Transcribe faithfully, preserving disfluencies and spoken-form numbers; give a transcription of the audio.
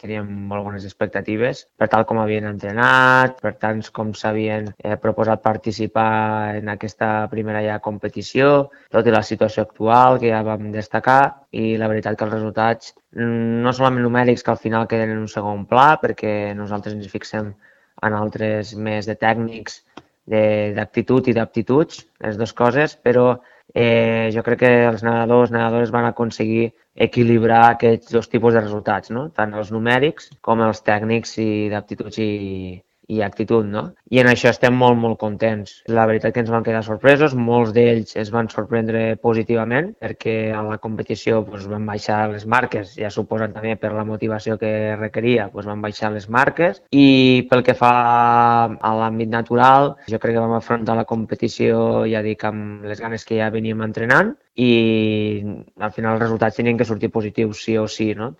teníem molt bones expectatives per tal com havien entrenat, per tant com s'havien eh, proposat participar en aquesta primera ja competició, tot i la situació actual que ja vam destacar, i la veritat que els resultats no solament numèrics que al final queden en un segon pla, perquè nosaltres ens fixem en altres més de tècnics, d'actitud i d'aptituds, les dues coses, però eh, jo crec que els nedadors, nedadores van aconseguir equilibrar aquests dos tipus de resultats, no? Tant els numèrics com els tècnics i d'aptituds i, i actitud, no? I en això estem molt, molt contents. La veritat que ens van quedar sorpresos, molts d'ells es van sorprendre positivament perquè a la competició doncs, van baixar les marques, ja suposen també per la motivació que requeria, doncs, van baixar les marques, i pel que fa a l'àmbit natural, jo crec que vam afrontar la competició, ja dic, amb les ganes que ja veníem entrenant, i al final els resultats tenien que sortir positius sí o sí, no?